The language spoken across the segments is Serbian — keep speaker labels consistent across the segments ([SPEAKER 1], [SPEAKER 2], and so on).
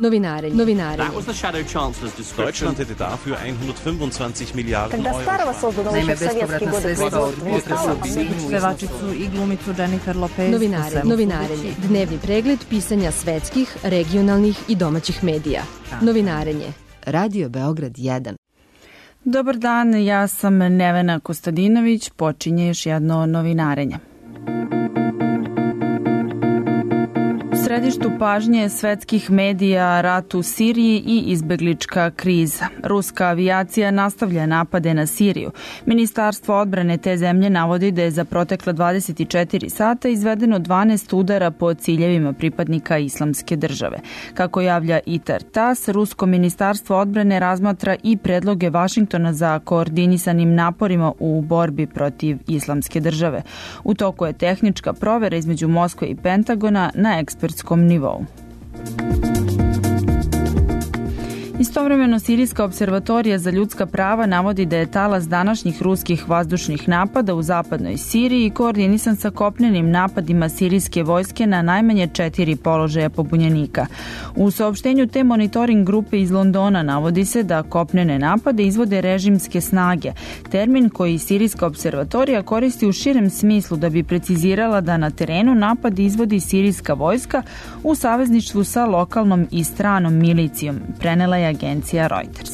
[SPEAKER 1] Novinarenje.
[SPEAKER 2] Deutschland hätte dafür 125 Milijarden Euro.
[SPEAKER 3] Naime, bespovratna sredstva od pevačicu i glumicu Jennifer Lopez.
[SPEAKER 1] Novinarenje. Dnevni pregled pisanja svetskih, regionalnih i domaćih medija. Novinarenje. Radio Beograd 1.
[SPEAKER 4] Dobar dan, ja sam Nevena Kostadinović, počinje još jedno novinarenje. U središtu pažnje svetskih medija rat u Siriji i izbeglička kriza. Ruska avijacija nastavlja napade na Siriju. Ministarstvo odbrane te zemlje navodi da je za protekla 24 sata izvedeno 12 udara po ciljevima pripadnika Islamske države. Kako javlja ITAR TAS, Rusko ministarstvo odbrane razmatra i predloge Vašingtona za koordinisanim naporima u borbi protiv Islamske države. U toku je tehnička provera između Moskve i Pentagona na ekspertskom nivou. Istovremeno, Sirijska observatorija za ljudska prava navodi da je talas današnjih ruskih vazdušnih napada u zapadnoj Siriji koordinisan sa kopnenim napadima sirijske vojske na najmanje 4 položaja pobunjenika. U saopštenju te monitoring grupe iz Londona navodi se da kopnene napade izvode režimske snage, termin koji Sirijska observatorija koristi u širem smislu da bi precizirala da na terenu napad izvodi sirijska vojska u savezništvu sa lokalnom i stranom milicijom, prenela je agencija Reuters.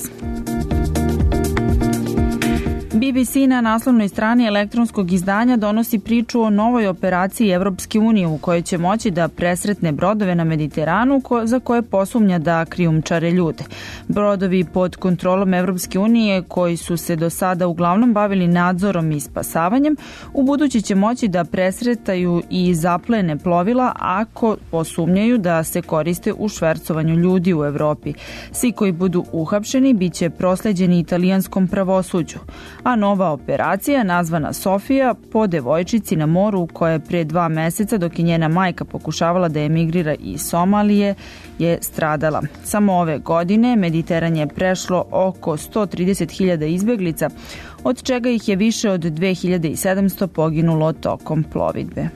[SPEAKER 4] BBC na naslovnoj strani elektronskog izdanja donosi priču o novoj operaciji Evropske unije u kojoj će moći da presretne brodove na Mediteranu za koje posumnja da krijumčare ljude. Brodovi pod kontrolom Evropske unije koji su se do sada uglavnom bavili nadzorom i spasavanjem, u budući će moći da presretaju i zaplene plovila ako posumnjaju da se koriste u švercovanju ljudi u Evropi. Svi koji budu uhapšeni biće prosleđeni italijanskom pravosuđu. A nova operacija, nazvana Sofija, po devojčici na moru koja je pre 2 meseca, dok je njena majka pokušavala da emigrira iz Somalije, je stradala. Samo ove godine Mediteran je prešlo oko 130.000 izbeglica, od čega ih je više od 2700 poginulo tokom plovidbe.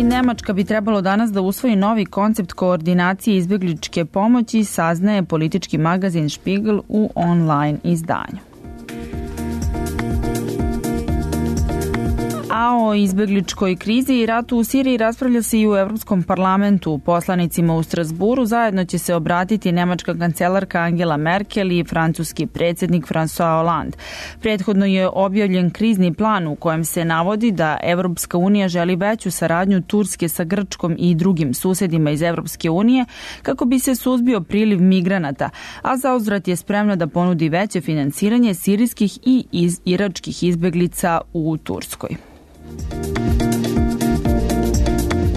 [SPEAKER 4] Nemačka bi trebalo danas da usvoji novi koncept koordinacije izbegličke pomoći, saznaje politički magazin Spiegel u online izdanju. A o izbegličkoj krizi i ratu u Siriji raspravlja se i u Evropskom parlamentu. Poslanicima u Strasburu zajedno će se obratiti nemačka kancelarka Angela Merkel i francuski predsjednik François Hollande. Prethodno je objavljen krizni plan u kojem se navodi da Evropska unija želi veću saradnju Turske sa Grčkom i drugim susedima iz Evropske unije kako bi se suzbio priliv migranata, a zauzvrat je spremna da ponudi veće finansiranje sirijskih i iračkih izbeglica u Turskoj.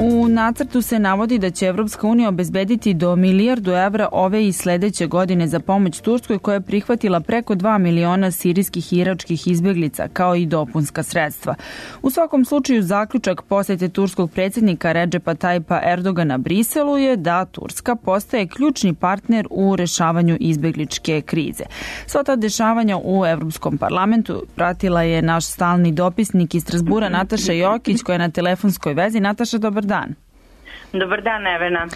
[SPEAKER 4] U nacrtu se navodi da će Evropska unija obezbediti do 1 milijardu evra ove i sledeće godine za pomoć Turskoj koja je prihvatila preko 2 miliona sirijskih i iračkih izbeglica kao i dopunska sredstva. U svakom slučaju zaključak posete turskog predsjednika Redžepa Tajpa Erdogana Briselu je da Turska postaje ključni partner u rešavanju izbegličke krize. Sva ta dešavanja u Evropskom parlamentu pratila je naš stalni dopisnik iz Strasbura Nataša Jokić koja je na telefonskoj vezi. Nataša, dobar dan.
[SPEAKER 5] Dobar dan, Nevena.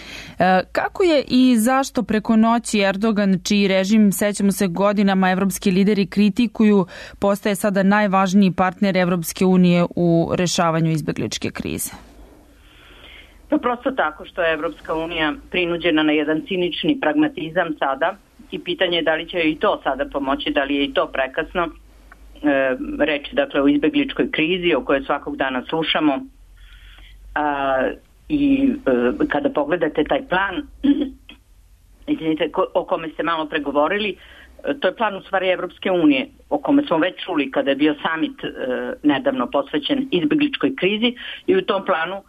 [SPEAKER 4] Kako je i zašto preko noći Erdogan, čiji režim, sećamo se, godinama evropski lideri kritikuju, postaje sada najvažniji partner Evropske unije u rešavanju izbegličke krize?
[SPEAKER 5] Pa prosto tako što je Evropska unija prinuđena na jedan cinični pragmatizam sada i pitanje je da li će i to sada pomoći, da li je i to prekasno. Reč dakle o izbegličkoj krizi o kojoj svakog dana slušamo. I kada pogledate taj plan, izvinite, o kome ste malo pregovorili, to je plan u stvari Evropske unije, o kome smo već čuli kada je bio summit nedavno posvećen izbegličkoj krizi i u tom planu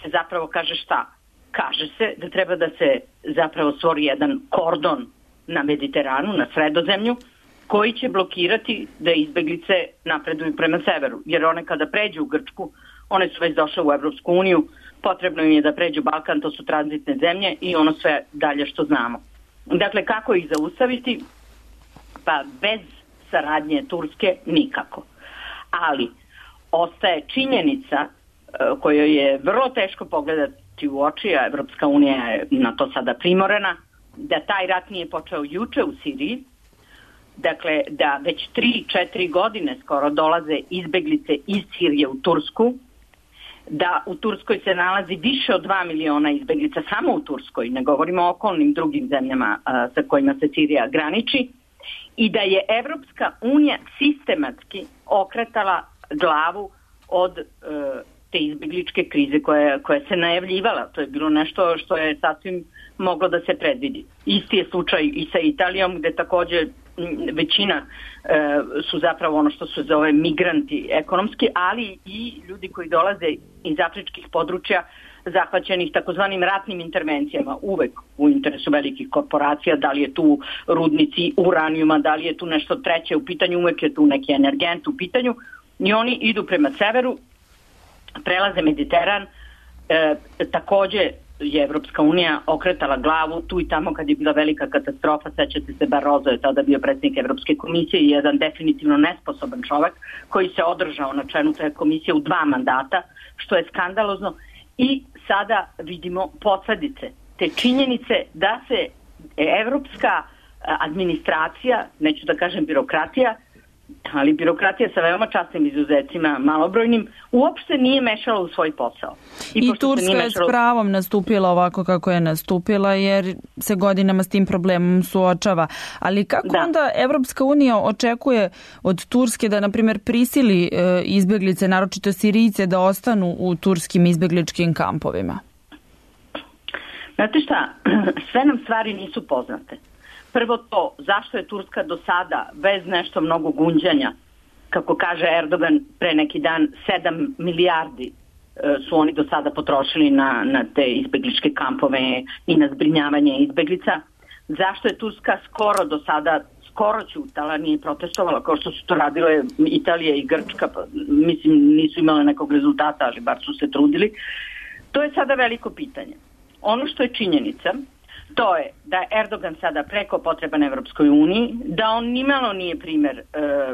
[SPEAKER 5] se zapravo kaže šta? Kaže se da treba da se zapravo stvori jedan kordon na Mediteranu, na Sredozemlju, koji će blokirati da izbeglice napreduju prema severu, jer one kada pređu u Grčku, one su već došle u Evropsku uniju, potrebno im je da pređu Balkan, to su tranzitne zemlje i ono sve dalje što znamo. Dakle, kako ih zaustaviti? Pa bez saradnje Turske nikako. Ali ostaje činjenica kojoj je vrlo teško ti u oči, a Evropska unija je na to sada primorena, da taj rat nije počeo juče u Siriji, dakle da već 3-4 godine skoro dolaze izbeglice iz Sirije u Tursku, da u Turskoj se nalazi više od 2 miliona izbeglica, samo u Turskoj, ne govorimo o okolnim drugim zemljama sa kojima se Sirija graniči, i da je Evropska unija sistematski okretala glavu od te izbegličke krize koja se najavljivala. To je bilo nešto što je sasvim moglo da se predvidi. Isti je slučaj i sa Italijom, gde takođe većina su zapravo ono što se zove migranti ekonomski, ali i ljudi koji dolaze iz afričkih područja zahvaćenih takozvanim ratnim intervencijama, uvek u interesu velikih korporacija, da li je tu rudnici uranijuma, da li je tu nešto treće u pitanju, uvek je tu neki energent u pitanju, i oni idu prema severu, prelaze Mediteran. Takođe je Evropska unija okretala glavu tu i tamo kad je bila velika katastrofa. Sećate se, Barroso je tada bio predsjednik Evropske komisije i jedan definitivno nesposoban čovek koji se održao na čelu te komisije u 2 mandata, što je skandalozno. I sada vidimo posledice te činjenice da se evropska administracija, neću da kažem birokratija, ali birokratija sa veoma časnim izuzecima, malobrojnim, uopšte nije mešala u svoj posao.
[SPEAKER 4] I Turska je s pravom nastupila ovako kako je nastupila, jer se godinama s tim problemom suočava. Ali kako onda Evropska unija očekuje od Turske da, na primjer, prisili izbeglice, naročito Sirijce, da ostanu u turskim izbegličkim kampovima?
[SPEAKER 5] Znate šta, sve nam stvari nisu poznate. Prvo to, zašto je Turska do sada, bez nešto mnogo gunđanja, kako kaže Erdogan pre neki dan, 7 milijardi su oni do sada potrošili na te izbegličke kampove i na zbrinjavanje izbeglica. Zašto je Turska skoro do sada, skoro ćutala, nije protestovala, kao što su to radile Italija i Grčka, mislim nisu imale nekog rezultata, ali bar su se trudili. To je sada veliko pitanje. Ono što je činjenica, to je da je Erdogan sada preko potreban Evropskoj uniji, da on nimalo nije primer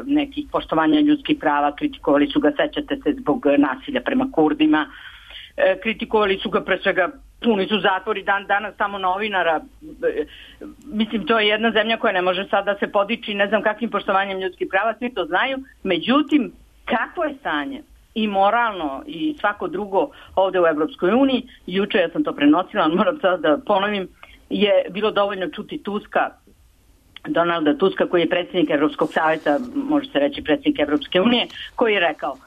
[SPEAKER 5] nekih poštovanja ljudskih prava, kritikovali su ga, sećate se, zbog nasilja prema Kurdima, kritikovali su ga pre svega, puni su zatvori dan danas samo novinara, mislim to je jedna zemlja koja ne može sad da se podiči ne znam kakvim poštovanjem ljudskih prava, svi to znaju, međutim kakvo je stanje i moralno i svako drugo ovde u Evropskoj uniji, juče ja sam to prenosila, moram sad da ponovim, je bilo dovoljno čuti Tuska, Donalda Tuska, koji je predsjednik Evropskog savjeta, može se reći predsjednik Evropske unije, koji je rekao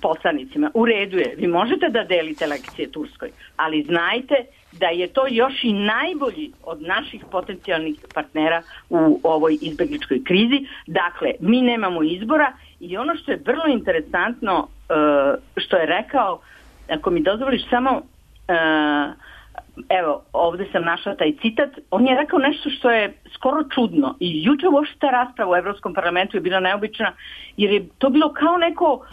[SPEAKER 5] poslanicima, u redu je, vi možete da delite lekcije Turskoj, ali znajte da je to još i najbolji od naših potencijalnih partnera u ovoj izbegličkoj krizi. Dakle, mi nemamo izbora i ono što je vrlo interesantno što je rekao, ako mi dozvoliš samo... Evo, ovde sam našla taj citat, on je rekao nešto što je skoro čudno i juče uopšte ta rasprava u Evropskom parlamentu je bila neobična, jer je to bilo kao neko,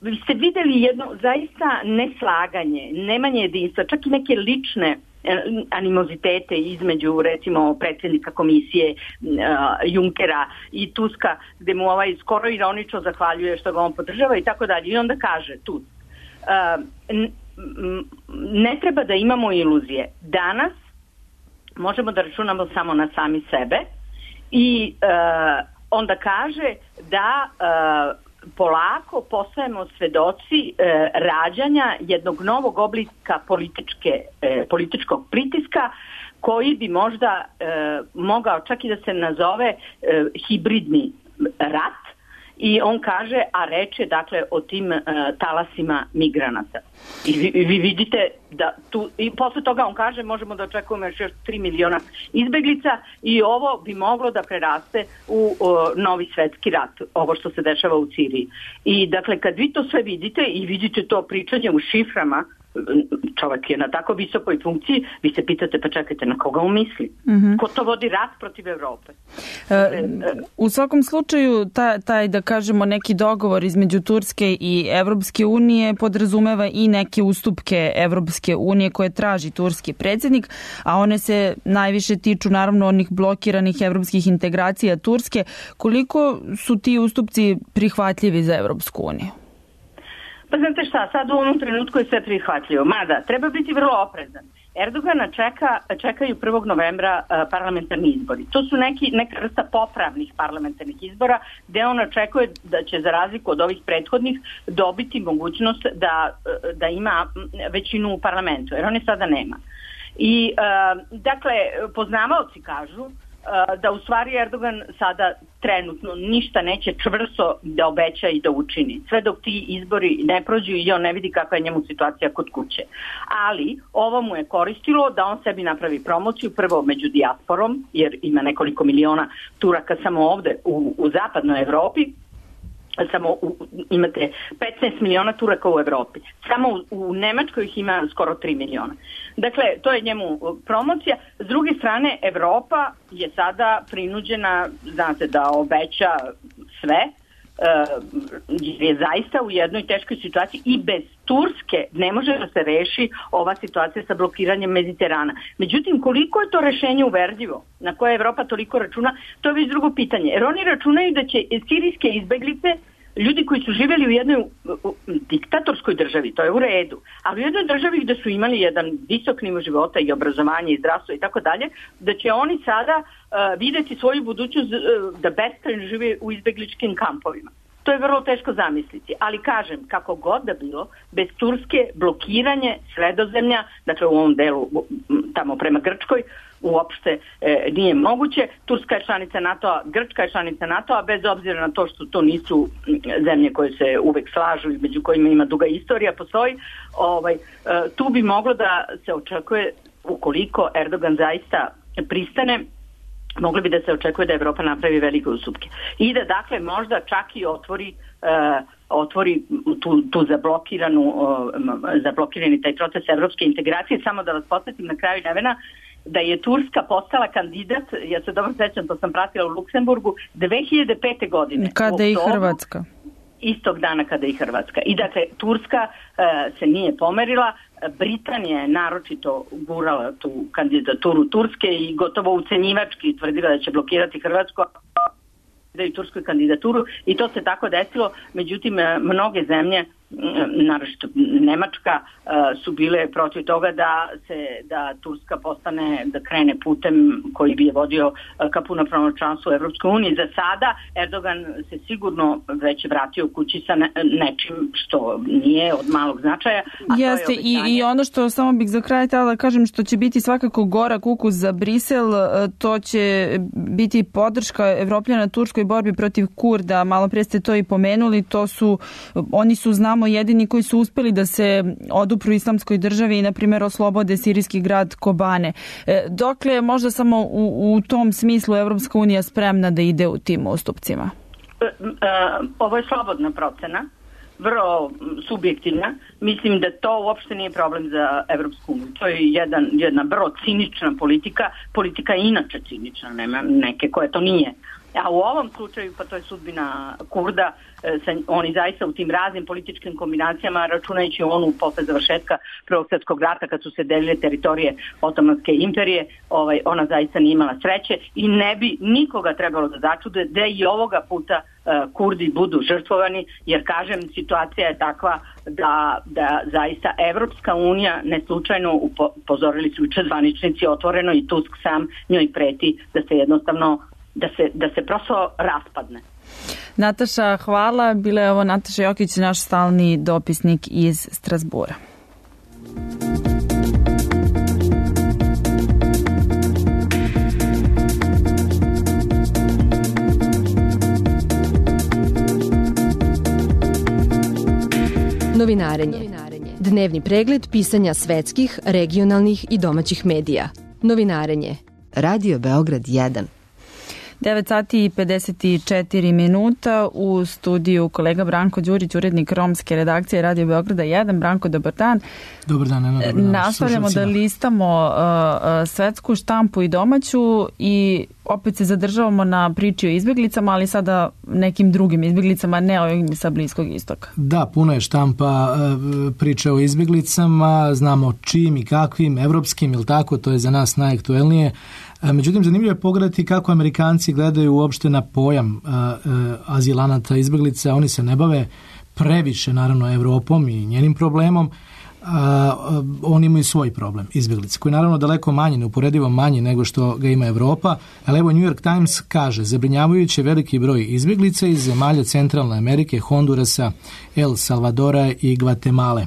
[SPEAKER 5] vi ste videli jedno zaista neslaganje, nemanje jedinstva, čak i neke lične animozitete između recimo predsjednika komisije Junckera i Tuska, gde mu skoro ironično zahvaljuje što ga on podržava i tako dalje. I onda kaže Tusk, ne treba da imamo iluzije. Danas možemo da računamo samo na sami sebe i onda kaže da polako postajemo svedoci rađanja jednog novog oblika političkog pritiska koji bi možda mogao čak i da se nazove hibridni rat. I on kaže, a reč je dakle o tim talasima migranata. I vi vidite da tu, i posle toga on kaže možemo da očekujemo još 3 miliona izbeglica i ovo bi moglo da preraste u novi svetski rat, ovo što se dešava u Siriji. I dakle kad vi to sve vidite i vidite to pričanje u šiframa, čovjek je na tako visokoj funkciji, vi se pitate pa čekajte na koga on misli? Ko to vodi rat protiv Evrope?
[SPEAKER 4] U svakom slučaju taj da kažemo neki dogovor između Turske i Evropske unije podrazumeva i neke ustupke Evropske unije koje traži turski predsjednik, a one se najviše tiču naravno onih blokiranih evropskih integracija Turske. Koliko su ti ustupci prihvatljivi za Evropsku uniju?
[SPEAKER 5] Pa znate šta, sad u ovom trenutku je sve prihvatljivo. Mada, treba biti vrlo oprezan. Erdogana čekaju 1. novembra parlamentarni izbori. To su neka vrsta popravnih parlamentarnih izbora gde on očekuje da će za razliku od ovih prethodnih dobiti mogućnost da ima većinu u parlamentu, jer on je sada nema. I dakle, poznavaoci kažu da u stvari Erdogan sada trenutno ništa neće čvrsto da obeća i da učini. Sve dok ti izbori ne prođu i on ne vidi kakva je njemu situacija kod kuće. Ali ovo mu je koristilo da on sebi napravi promociju, prvo među dijasporom, jer ima nekoliko miliona Turaka samo ovde u zapadnoj Evropi. Imate 15 miliona Turaka u Evropi. Samo u Nemačkoj ih ima skoro 3 miliona. Dakle, to je njemu promocija. S druge strane, Evropa je sada prinuđena, znate, da obeća sve, jer je zaista u jednoj teškoj situaciji i bez Turske ne može da se reši ova situacija sa blokiranjem Mediterana. Međutim, koliko je to rešenje uverljivo, na koje Evropa toliko računa, to je već drugo pitanje. Jer oni računaju da će sirijske izbeglice, ljudi koji su živjeli u jednoj diktatorskoj državi, to je u redu, ali u jednoj državi gde su imali jedan visok nivo života i obrazovanje i zdravstvo i tako dalje, da će oni sada videti svoju budućnost da beskrajno žive u izbegličkim kampovima. To je vrlo teško zamisliti, ali kažem, kako god da bilo, bez Turske blokiranje Sredozemlja, dakle u ovom delu tamo prema Grčkoj, uopšte nije moguće. Turska je članica NATO-a, Grčka je članica NATO-a, bez obzira na to što to nisu zemlje koje se uvek slažu i među kojima ima duga istorija, postoji. Tu bi moglo da se očekuje, ukoliko Erdogan zaista pristane, moglo bi da se očekuje da Evropa napravi velike ustupke. I da, dakle, možda čak i otvori tu zablokirani taj proces evropske integracije. Samo da vas podsjetim na kraju, Nevena, da je Turska postala kandidat, ja se dobro sećam, to sam pratila u Luksemburgu, 2005. godine.
[SPEAKER 4] Kada je i Hrvatska.
[SPEAKER 5] Istog dana kada je i Hrvatska. I dakle, Turska se nije pomerila, Britanija je naročito gurala tu kandidaturu Turske i gotovo ucenjivački tvrdila da će blokirati Hrvatsku i turskoj kandidaturu i to se tako desilo. Međutim, mnoge zemlje, naročito Nemačka, su bile protiv toga da Turska postane, da krene putem koji bi je vodio ka punopravnom članstvu u Evropskoj uniji. Za sada Erdogan se sigurno već vratio kući sa nečim što nije od malog značaja.
[SPEAKER 4] Jeste, i ono što samo bih za kraj htjela da kažem, što će biti svakako gorak ukus za Brisel, to će biti podrška Evropljana Turskoj borbi protiv Kurda. Malo prije ste to i pomenuli, oni su, znamo, jedini koji su uspeli da se odupru islamskoj državi i, na primjer, oslobode sirijski grad Kobane. Dokle možda samo u tom smislu Evropska unija spremna da ide u tim ustupcima?
[SPEAKER 5] Ovo je slobodna procena, vrlo subjektivna. Mislim da to uopšte nije problem za Evropsku uniju. To je jedna vrlo cinična politika je inače cinična, nema neke koje to nije. A u ovom slučaju, pa to je sudbina Kurda, oni zaista u tim raznim političkim kombinacijama, računajući onu posle završetka Prvog svjetskog rata kad su se delile teritorije Otomanske imperije, ona zaista nije imala sreće i ne bi nikoga trebalo da začude da i ovoga puta Kurdi budu žrtvovani, jer kažem, situacija je takva da zaista Evropska unija, ne slučajno upozorili su juče zvaničnici otvoreno i Tusk sam njoj preti da se jednostavno da se prosto raspadne.
[SPEAKER 4] Nataša, hvala. Bila je ovo Nataša Jokić, naš stalni dopisnik iz Strazbura.
[SPEAKER 1] Novinarenje. Dnevni pregled pisanja svetskih, regionalnih i domaćih medija. Novinarenje. Radio Beograd 1.
[SPEAKER 4] 9 sati i 54 minuta, u studiju kolega Branko Đurić, urednik romske redakcije Radio Beograda 1. Branko, dobar dan.
[SPEAKER 6] Dobar dan, Ema, dobar dan.
[SPEAKER 4] Nastavljamo da listamo svetsku štampu i domaću i opet se zadržavamo na priči o izbjeglicama, ali sada nekim drugim izbjeglicama, ne ovim sa Bliskog istoka.
[SPEAKER 6] Da, puno je štampa priče o izbjeglicama, znamo čim i kakvim, evropskim, ili tako, to je za nas najaktuelnije. Međutim, zanimljivo je pogledati kako Amerikanci gledaju uopšte na pojam azilanata, izbjeglica. Oni se ne bave previše, naravno, Evropom i njenim problemom, oni imaju svoj problem, izbjeglice, koji je naravno daleko manji, neuporedivo manji nego što ga ima Evropa, ali evo New York Times kaže, zabrinjavajuće veliki broj izbjeglica iz zemalja Centralne Amerike, Hondurasa, El Salvadora i Gvatemale.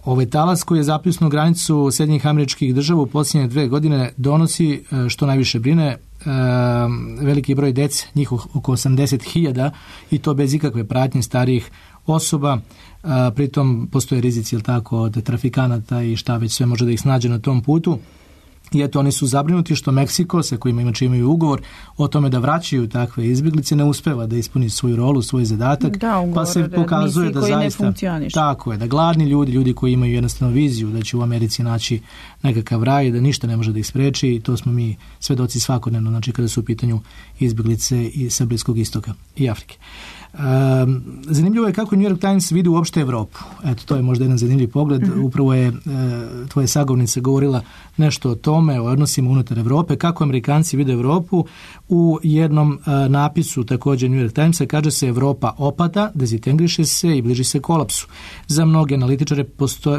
[SPEAKER 6] Ovaj talas koji je zapljusnuo granicu Sjedinjenih Američkih Država u posljednje 2 godine donosi, što najviše brine, veliki broj dece, njih oko 80.000 i to bez ikakve pratnje starijih osoba. Pritom postoje rizici, od trafikanata i šta već sve može da ih snađe na tom putu. I eto, oni su zabrinuti što Meksiko, sa kojima imaju ugovor o tome da vraćaju takve izbjeglice, ne uspeva da ispuni svoju rolu, svoj zadatak, pa se pokazuje da zaista tako je, da gladni ljudi koji imaju jednostavno viziju da će u Americi naći nekakav raj, da ništa ne može da ih spreči, i to smo mi svedoci svakodnevno, znači kada su u pitanju izbjeglice i sa Bliskog istoka i Afrike. Zanimljivo je kako New York Times vidi uopšte Evropu. Eto, to je možda jedan zanimljiv pogled. Upravo je tvoja sagovornica govorila nešto o tome, o odnosima unutar Evrope, kako Amerikanci vide Evropu. U jednom napisu također New York Timesa kaže se Evropa opada, dezintegriše se i bliži se kolapsu. Za mnoge analitičare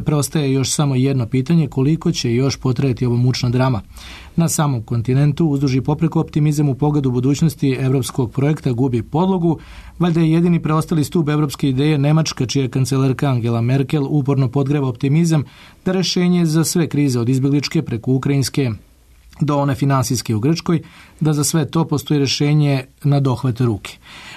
[SPEAKER 6] preostaje još samo jedno pitanje, koliko će još potrajati ova mučna drama. Na samom kontinentu uzduž i popreko optimizam u pogledu budućnosti evropskog projekta gubi podlogu. Valjda je jedini preostali stup evropske ideje Nemačka, čija kancelarka Angela Merkel uporno podgreva optimizam da rešenje za sve krize od izbjegličke preko ukrajinske do one finansijske u Grčkoj, da za sve to postoji rešenje na dohvat ruke.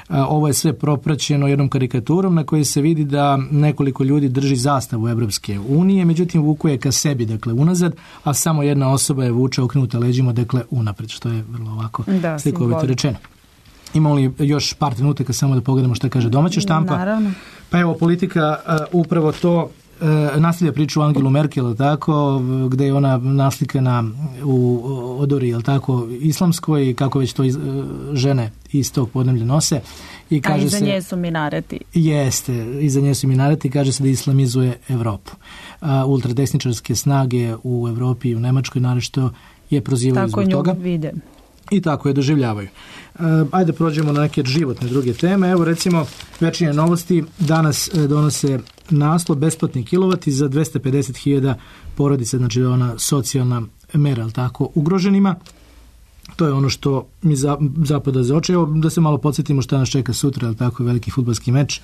[SPEAKER 6] Ovo je sve propraćeno jednom karikaturom na kojoj se vidi da nekoliko ljudi drži zastavu Evropske unije, međutim vuku je ka sebi, dakle unazad, a samo jedna osoba je vuče okrenuta leđima, dakle unapred, što je vrlo ovako slikovito rečeno. Imamo li još par trenutaka samo da pogledamo šta kaže domaća štampa?
[SPEAKER 4] Naravno.
[SPEAKER 6] Pa evo, Politika upravo to nastavlja priču o Angelu Merkel, tako, gde je ona naslikana u odori, islamskoj, i kako već to žene iz tog podneblja nose. I kaže
[SPEAKER 4] iza nje su minareti.
[SPEAKER 6] Jeste, iza nje su minareti, kaže se da islamizuje Evropu. Ultradesničarske snage u Evropi i u Nemačkoj narešto je prozivaju zbog toga.
[SPEAKER 4] Tako nju vide.
[SPEAKER 6] I tako je doživljavaju. Ajde prođemo na neke životne druge teme. Evo recimo Večernje novosti danas donose naslov besplatni kilovati za 250.000 porodica, znači ona socijalna mera, ugroženima. To je ono što mi zapada za oči. Evo da se malo podsjetimo šta nas čeka sutra, veliki fudbalski meč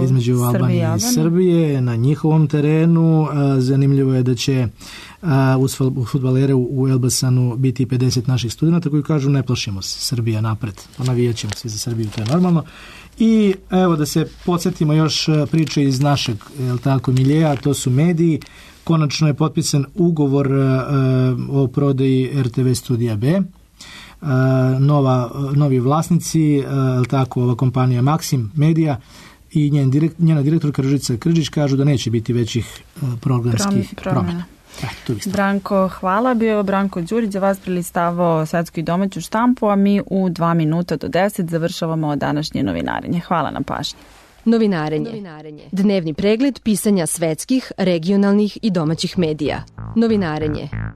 [SPEAKER 6] između Albanije i Srbije na njihovom terenu. Zanimljivo je da će uz fudbalere u Elbasanu biti 50 naših studenta koji kažu ne plašimo se, Srbija napred, pa navijat ćemo svi za Srbiju, to je normalno. I evo da se podsjetimo još priče iz našeg miljeja, to su mediji. Konačno je potpisan ugovor o prodaji RTV Studija B. Novi vlasnici, ova kompanija Maxim Media i njena direktorka Ružica Krđić kažu da neće biti većih programskih promjena.
[SPEAKER 4] Branko, hvala. Bio je Branko Đurić za vas prelistavao svetsku i domaću štampu, a mi u 2 minuta do 10 završavamo današnje novinarenje. Hvala na pažnji.
[SPEAKER 1] Novinarenje. Dnevni pregled pisanja svetskih, regionalnih i domaćih medija. Novinarenje.